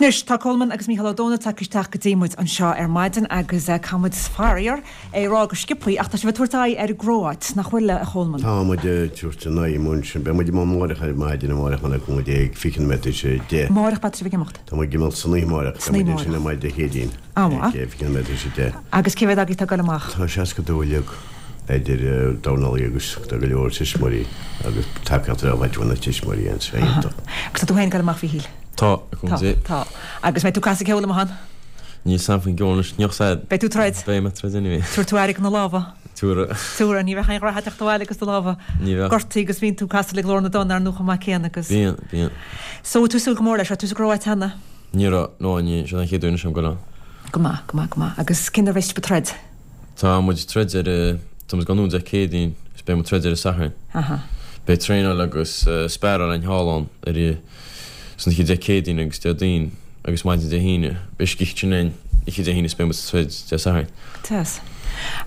Anois, tá Colman agus Mícheál Ó Domhnaill tagtha isteach go dtí muid anseo ar maidin agus caithfidh muid, faraor, é a rá go sciobthaí, ach tá sibh ag tabhairt aghaidh ar an gCróáit, nach bhfuil, a Cholman? Tá muid ag tabhairt an aghaidh amuigh ansin. Beidh muid amuigh amáireach ar maidin amáireach le cúnamh Dé ag 20 nóiméad tar éis a 10. Amáireach beidh sibh ag imeacht? Tá muid ag imeacht san oíche amáireach. San Beidh oíche muid ansin ar maidin Dé Céadaoin An-mhaith. ag 20 nóiméad tar éis a 10. Agus cé mhéad agaibh atá ag dul amach? Tá 62 uilig idir dornálaí agus tá go leor tuismitheoirí agus tacaíocht a fháil ó na tuismitheoirí anseo. Iontach. Agus tá tú féin ag dul amach, a Mhíchíl? Tá, a Tá, Dé. tá. Agus mbeidh tú ag casadh ceoil amuigh ann? Níl 's a'm faoin gceol anois, níl 's a'd. Beidh tú ag troid? Beidh mé ag troid anyway. Tabharfaidh tú aire do na lámha? Tabharfaidh. Tabharfaidh, ní bheadh aon ghnaitheadh teacht abhaile agus do lámha Ní bheadh. gortaithe agus bíonn tú ag casadh le Glór na dTonn, ar ndóigh, chomh maith céanna agus. Bíonn, bíonn. So, bhfuil tú ag súil go mór leis? Raibh tú sa gCróit cheana? Ní raibh, no, ní, seo an chéad uair anois a'm goil ann. Go maith, go maith, go maith. Agus cén uair a bheas sibh ag troid? Tá muid ag troid ar, tá muid ag gabháil anonn Dé Céadaoin agus beidh muid ag troid ar an Satharn. Aha. Beidh traenáil agus sparáil againn thall ann ar san oíche Dé Céadaoin agus Déardaoin agus maidin Dé hAoine. Beidh scíth ansin againn oíche Dé hAoine is beidh muid ag troid Dé Sathairn. Deas.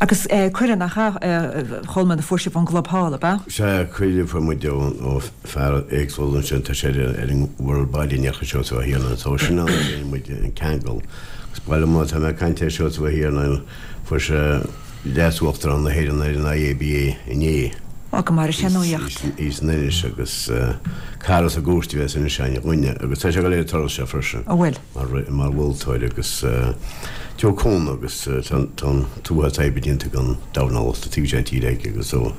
Agus cuireadh, nach ea, a Cholmáin, a fuair sibh ón gclub thall, ab ea? Sea, cuireadh a fuair muid ó fear éagsúil ansin, tá sé ar an World Body in Iarthar Seosamh Ó hIarnáin, so sin an áit a dhein muid an ceangal. Agus ba liom má tá mé ag caint ar Seosamh Ó hIarnáin, fuair sé Leas-Uachtarán na hÉireann ar an IABA inné. Ó, go maire sé an nuaíocht. Í san Inis agus cara sa gcúirt a bheas anois againn a dhuine agus tá sé ag dul ar an turas seo freisin. An bhfuil? Mar mholtóir agus Joe Cún agus tá an t-uafás oibre déanta ag an dornálaíocht taobh seo tíre aige agus so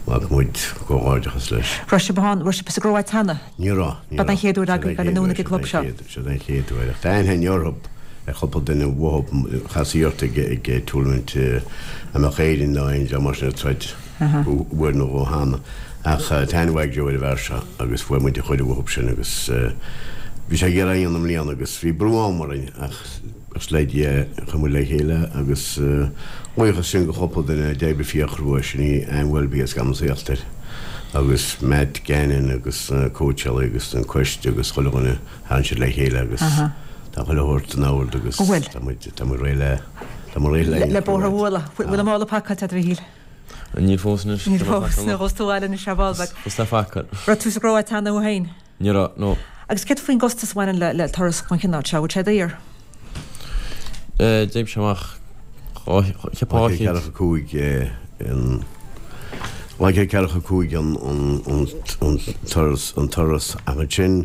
ghlac muid comhghairdeachas leis. Raibh sibh ann, raibh sibh sa gCróit cheana? Ní raibh, ní B'é raibh. an chéad uair agaibh dul anonn ag an gclub seo? Seo an chéad uair. Ach tá aithne orthu ar chúpla duine uathu chas ort ag ag tournament a mbeadh Éirinn nó aon dream mar sin ag troid uair nó dhó cheana. Ach tá aithne mhaith ag Joe ar an bhfear seo agus fuair muid an chuireadh uathu sin agus bhí sé ag iarraidh a dhéanamh i mbliana agus bhí brú ama orainn ach Is le Dia a chuir muid le chéile agus buíochas sin go chúpla duine a d'oibrigh fíorchrua, sin í Ann Welby as Camas Íochtair agus Matt Gannon agus na cóitseálaí agus an coiste agus chuile dhuine, tharraing siad le chéile agus tá chuile shórt in ord agus tá muid, tá muid réidh le, tá muid réidh le. Le bóthar a bhualadh. Bhfuil an mála pacáilte agat a Mhíchíl? Níl fós anois. Níl fós, nuair a ghabhfas tú abhaile anois ar ball beag. Fós le pacáil. Raibh tú sa gCróit cheana thú féin? Ní raibh, no. Agus céard faoin gcostas a bhaineann le turas den chineál seo, bhfuil sé daor? D'oibrigh sé amach cheapfá 245 an 245 an turas an turas ach ansin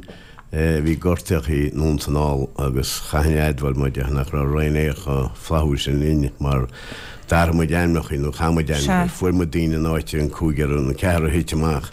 bhí gortaíochaí anonn 's anall agus chaithfinn a admháil mar déarfainn nach raibh Ryanair chomh flaithiúil sin linn mar D'athraigh muid ainmneacha, nó chaith muid ainmneacha, fuair muid daoine in áit an cúigear, an ceathrar a thit amach,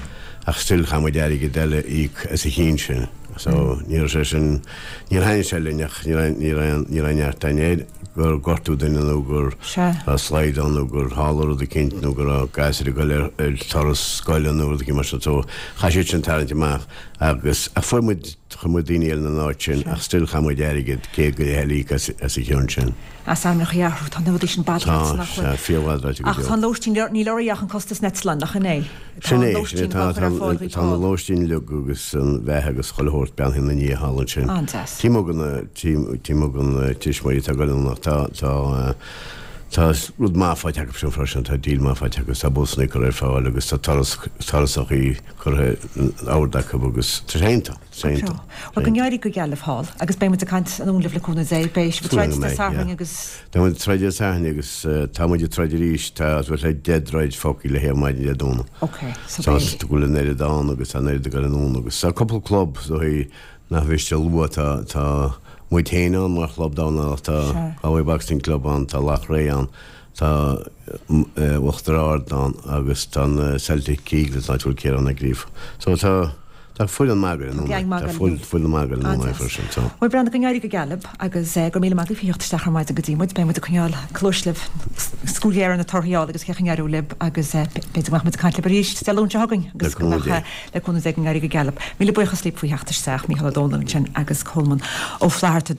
ach still chaith muid airgead eile a íoc as a chinn sin. So, ní raibh sé sin, níor thaitnigh sé linn ach ní raibh, ní raibh, ní raibh neart againn air gur gortú duine nó gur raibh slide ann nó gur tharla rud eicínt nó go raibh gasúir ag dul ar, ar turas scoile nó rud eicínt mar sin. So, chaith siad sin tarraingt amach agus, ach fuair muid, chuir muid daoine eile ina n-áit sin ach still chaith muid airgead, 100 go leith eile a íoc as, as a chionn sin. As ainmneacha a athrú, tá na rudaí sin badráite, Tá, nach bhfuil? sea, fíor-bhadráite go Ach deo. tá an lóistín, níl oraibh ach an costas an eitleáin, nach in é? Tá Sin an é, sin é, lóistín tá, á chur tá, ar fáil dhaoibh tá na thall. lóistín uilig agus an bheatha agus chuile shórt beannaithe ina ndiaidh thall ansin. An-deas. Taobh amuigh de na, taobh amuigh de na tuismitheoirí atá ag dul ann ach tá, tá, tá rud maith faighte acu sin freisin, tá deal maith faighte acu, tá busanna curtha ar fáil agus tá turas, turasachaí curtha in ord acu agus tá sé iontach. Go treo. Bhuel, go n-éirí go geal libh thall, agus beidh muid ag caint anonn libh le cúnamh Dé. Beidh sibh ag troid Dé Sathairn agus. Tá muid ag troid Dé Sathairn agus tá muid ag troid arís, tá os le 10 dtroid fágtha le thaobh maidin Dé Domhnaigh. Ok, so beidh. Tá go bhfuil an oiread ann agus tá an oiread ag dul anonn agus tá cúpla club so nach mhiste a lua, tá tá muid féin ann mar chlub dornálaíochta, tá Galway Boxing Club ann, tá Loughrea ann, tá Uachtar Ard ann agus tá na Celtic Eagles, áit a bhfuil Ciarán Ó Gríofa. So tá Tá foireann maith againn Tá geaing maith Tá againn. foireann maith againn An-deas. freisin so. Bhuel Breandán, go n-éirí go geal libh agus go raibh míle maith agaibh faoi theacht isteach ar maidin go dtí muid. Beidh muid ag coinneáil cluais libh, súil ghéar ar na torthaí a fháil agus cén chaoi a n-éireoidh libh agus b'fhéidir go mbeadh muid ag caint libh arís Dé Luain seo chugainn Le agus go cúnamh mbeadh Dé. le cúnamh Dé go n-éirí go geal libh. Míle buíochas libh faoi theacht isteach, Mícheál Ó Domhnaill ansin agus Colman Ó Flatharta.